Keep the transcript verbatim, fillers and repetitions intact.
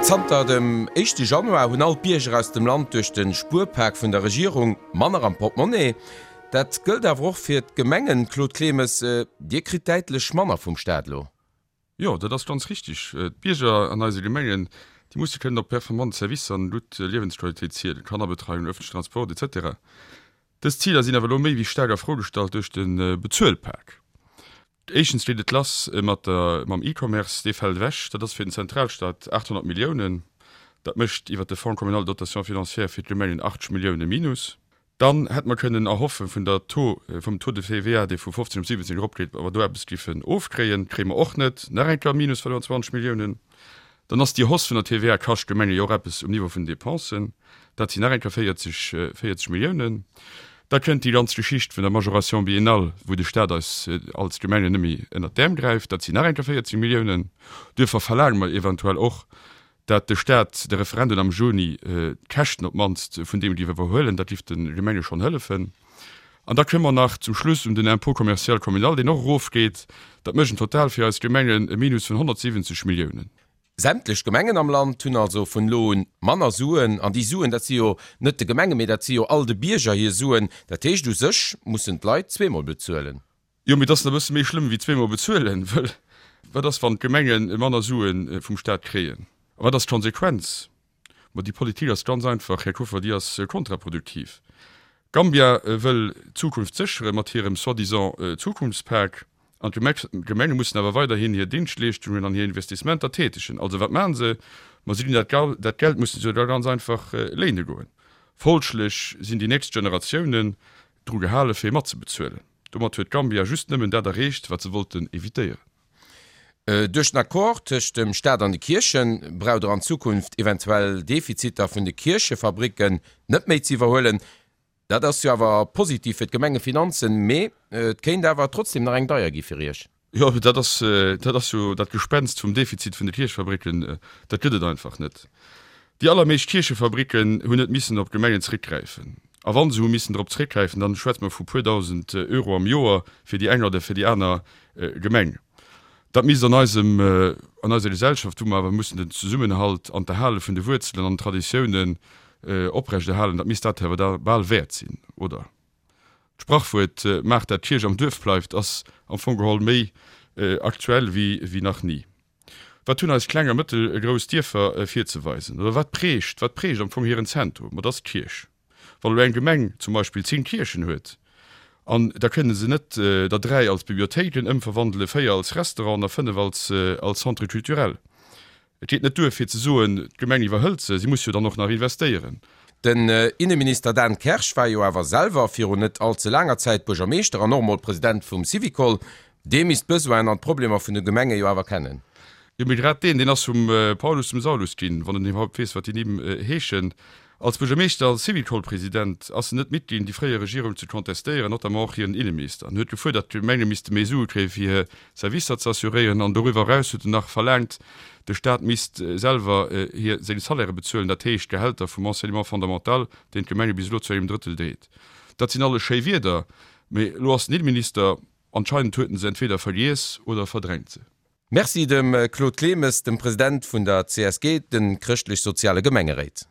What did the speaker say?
Zanter dem éischte Januar hunn all d'Bierger aus dem Land duerch de Spuerpak vun der Regierung manner am Portemonnaie. Dat gëllt awer och fir d'Gemengen. Claude Clemes, Dir kritt däitlech manner vum Staat elo. Jo, dat ass ganz richtig. D'Bierger an eise Gemengen, déi musse kënnen op performant Servicer an gutt Liewensqualitéit zielen, Kannerbetreiung, öffentlichen Transport, et cetera. Dës Ziler sinn awer elo méi wéi staark a Fro gestallt duerch de Bezuelpak. Éischtens geet et lass mat der, mam E-Commerce, dee fält ewech. Dat ass fir den Zentralstaat achthonnert Milliounen. Dat mécht iwwert de Fonds communal de dotation financière fir d'Gemengen achtzeg Millioune Minus. Dann hätte mer kënnen erhoffe vun der Taux, vum Taux de T V A, dee vu fofzéng op siwwenzéng eropgeet, ob mer do eppes giffen ofkréien. Kréie mer och net. Nach eng Kéier Minus fënnfanzwanzeg Milliounen. Dann ass déi Hausse vun der T V A kascht d'Gemenge jo och eppes um Niveau vun den Dépensen. Dat sinn nach eng Kéier véierzeg, véierzeg Milliounen. Da kënnt déi ganz Geschicht vun der Majoration biennale, wou de Staat eis als Gemengen net méi ënnert d'Äerm gräift. Dat sinn nach eng Kéier véierzeg Milliounen. Duerfir verlaange mer eventuell och, dat de Staat de Referendum am Juni d'Käschten op d'mannst vun deem géif iwwerhuelen. Dat géif de Gemenge schonn hëllefen. An da kënne mer nach zum Schluss un den Impôt commercial communal, deen och erofgeet. Dat mécht en Total fir eis Gemengen e Minus vun honnertsiwwenzeg Milliounen. Sämtlech Gemengen am Land hunn also vun elo un manner Suen. An déi Suen, dat si jo net de Gemenge, mee dat si jo all de Bierger hir Suen. Dat heescht, u sech mussen d'Leit zweemol bezuelen. Jo, mee et ass nach e bësse méi schlëmm wéi zweemol bezuelen, wëll wat ass, wann d'Gemenge manner Sue vum Staat kréien? A wat ass d'Konsequenz? Ma déi Politik ass ganz einfach, Här Kuffer, déi ass kontraproduktiv. Gambia wëll d'Zukunft séchere mat hirem soi-disant Zukunftspak. An d'Gemenge mussen awer weiderhin hir Dingschtleeschtungen an hir Investissementer tätegen. Also wat maachen se? Ma si ginn dat dat Geld musse se da ganz einfach léine goen. Folglech sinn déi nächst Generatiounen dru gehale fir matzebezuelen. Domat huet Gambia just nëmmen dat erreecht, wat se wollten evitéieren. Duerch den Accord tëscht dem Staat an de Kierchen braucht Der an Zukunft eventuell Defiziter vun de Kierchefabricken net méi ze iwwerhuelen. Dat ass jo awer positiv fir d'Gemengefinanzen, mee et kéint awer trotzdem nach eng deier gi fir Iech. Jo, dat ass, dat ass jo dat Gespenst vum Defizit vun de Kierchefabricken, dat gëtt et einfach net. Déi allermeescht Kierchefabricken hunn net missen op d'Gemengen zréckgräifen. A wa se hu missen drop zréckgräifen, dann schwätze mer vu puer dausend Euro am Joer fir déi eng oder fir déi aner Gemeng. Dat misst an eisem, an eiser Gesellschaft, wou mer awer mussen den Zesummenhalt an d'Erhale vun de Wuerzelen an den Traditiounen oprechterhalen, dat misst dat awer da bal wäert sinn, oder? D'Sprachwuert Maach dat d'Kierch am Duerf bleift ass am Fong geholl méi aktuell wéi wéi nach ni. Wat hunn eis kleng a mëttelgrouss Dierfer virzeweisen? Oder wat prägt, wat prägt am Fong hiren Zentrum? Ma dat ass d'Kierch. Wann elo eng Gemeng zum Beispill zéng Kierchen huet, an da kënne se net der dräi als Bibliothéiken ëmverwandelen, véier als Restauranten a fënnef als als Centre culturel. Et geet net duer fir ze soen, d'Gemeng iwwerhëlt se, si muss jo dann och nach investéieren. Den Inneminister Dan Kersch war jo awer selwer virun net all ze laanger Zäit Buergermeeschter an och emol President vum Syvicol. Dee misst d'Besoinen an d'Problemer vun de Gemenge jo awer kennen. Jo, mee grad deen, deen ass vum Paulus zum Saulus ginn, wann en iwwerhaupt weess, wat déi Nimm heeschen. Als Buergermeeschter, als Syvicol-President ass en net midd ginn, déi fréier Regierung ze contestéieren, notamment och hiren Inneminister. En huet gefuerdert, d'Gemenge misste méi Sue kréien, fir hir Servicer ze assuréieren. An doriwwer eraus huet en nach verlaangt, de Staat misst selwer hir seng Salairë bezuelen, dat heescht d'Gehälter vum Enseignement fondamental, deen d'Gemenge bis elo zu engem Drëttel dreet. Dat sinn alles schéi Wierder, mee elo ass den Inneminister. Anscheinend huet en se entweder vergiess oder verdrängt se. Merci dem Claude Clemes, dem President vun der C S G, de Chrëschtlech-Soziale Gemengeréit.